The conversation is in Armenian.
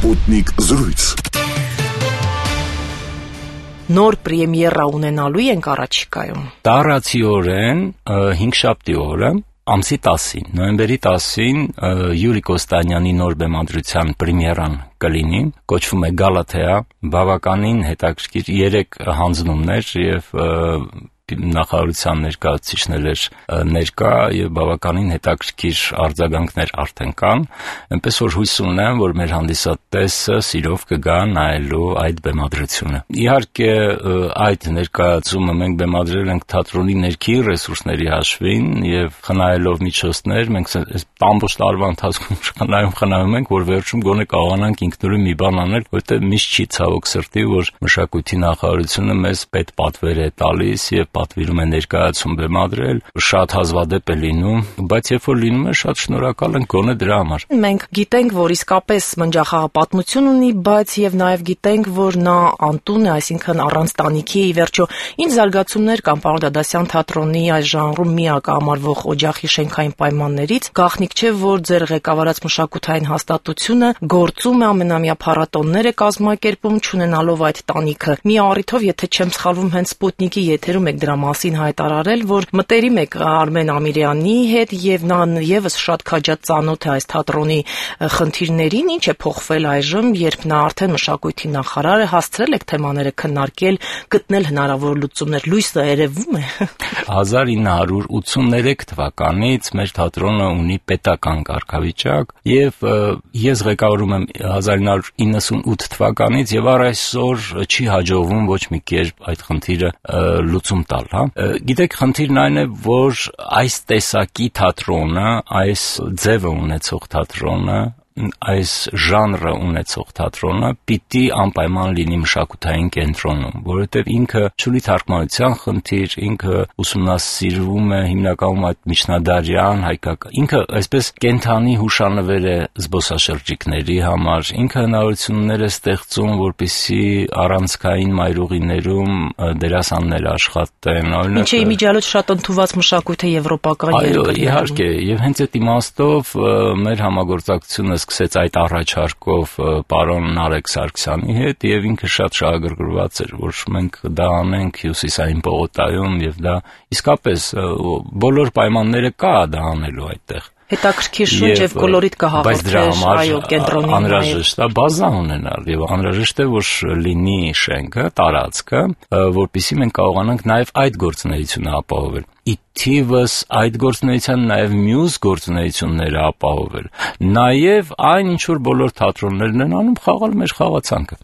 Sputnik զրույց։ Նոր պրեմիերա ունենալու ենք առաջիկայում։ Տարածիորեն 5-շաբթի օրը ամսի 10-ին, նոյեմբերի 10-ին Յուրի Կոստանյանի նոր բեմադրության պրեմիերան կլինի, կոչվում է Գալաթեա, բավականին հետաքրքիր 3 հանձնումներ եւ նախարարության ներկայացուցիչներ ներկա եւ բավականին հետաքրքիր արձագանքներ արդեն կան, այնպես որ հույս ունեմ, որ մեր հանդիսատեսը սիրով կգա նայելու այդ բեմադրությունը։ Իհարկե այդ ներկայացումը մենք բեմադրել ենք թատրոնի ներքին ռեսուրսների հաշվին եւ խնայելով միջոցներ, մենք այս ամբողջ տարվա ընթացքում խնայում ենք, որ վերջում գոնե կարողանանք ինքնուրույն մի բան անել, որտեղ միշտ չի ցավոք սրտի, որ մշակույթի նախարարությունը մեզ պետ-պատվեր է տալիս եւ պատվիրում է ներկայացում բեմադրել, շատ հազվադեպ է լինում, բայց երբ որ լինում է, շատ շնորհակալ ենք գոնե դրա համար։ Մենք գիտենք, որ իսկապես մնջախաղը պատմություն ունի, բայց եւ նաեւ գիտենք, որ նա անտուն է, այսինքն առանց տանիքի, ի վերջո, ինչ զարգացումներ կան պարոն Դադասյան թատրոնի այս ժանրում միակամարվող օջախի շենքային պայմաններից, գաղտնիք չէ, որ ձեր ղեկավարած մշակութային հաստատությունը գործում է, ամենամյա փառատոններ է կազմակերպում, չունենալով այդ տանիքը։ Մի առիթով, եթե չեմ սխալվում, հենց Սպուտնիկի եթերում եք դրա մասին հայտարարել, որ մտերիմ եք Արմեն Ամիրյանի հետ եւ նա եւս շատ քաջատ ծանոթ է այս թատրոնի խնդիրներին, ինչ է փոխվել այժմ, երբ նա արդեն մշակույթի նախարար է, հասցրել եք թեմաները քննարկել, գտնել հնարավոր լուծումներ, լույսը երևում է։ 1983 թվականից մեր թատրոնը ունի պետական կարգավիճակ եւ ես ղեկավարում եմ 1998 թվականից եւ առ այսօր չի հաջողվում ոչ մի կերպ այդ խնդիրը լուծում տալ, հա։ Գիտեք, խնդիրն այն է, որ այս տեսակի թատրոնը, այս ձևը ունեցող թատրոնը, այս ժանրը ունեցող թատրոնը պիտի անպայման լինի մշակութային կենտրոնում, որովհետև ինքը չունի թարգմանության խնդիր, ինքը ուսումնասիրվում է հիմնականում այդ միջնադարյան հայկական, ինքը այսպես կենթանի հուշանվեր է զբոսաշրջիկների համար, ինքը հնարավորություններ է ստեղծում, որպեսզի առանցքային մայրուղիներում դերասաններ աշխատեն, օրինակ։ Ինչի իմիջիալոց շատ ընդունված մշակույթ է եվրոպական երկրներում։ Այո, իհարկե, եւ հենց այդ իմաստով մեր համագործակցությունը սկսեց այդ առաջարկով պարոն Նարեկ Սարգսյանի հետ եւ ինքը շատ շահագրգռված էր, որ մենք դա անենք Հյուսիսային պողոտայում եւ դա իսկապես բոլոր պայմանները կա դա անելու այդտեղ։ Հետաքրքիր շունչ եւ կոլորիտ կհաղորդեր, այո, կենտրոնի անհրաժեշտ է բազա ունենալ եւ անհրաժեշտ է որ լինի շենքը, տարածքը, որպեսզի մենք կարողանանք նաեւ այդ գործունեությունը ապահովել։ Ի թիվս այդ գործունեության նաեւ մյուս գործունեությունները ապահովել։ Նաեւ այն ինչ որ բոլոր թատրոններն են անում, խաղալ մեր խաղացանքը։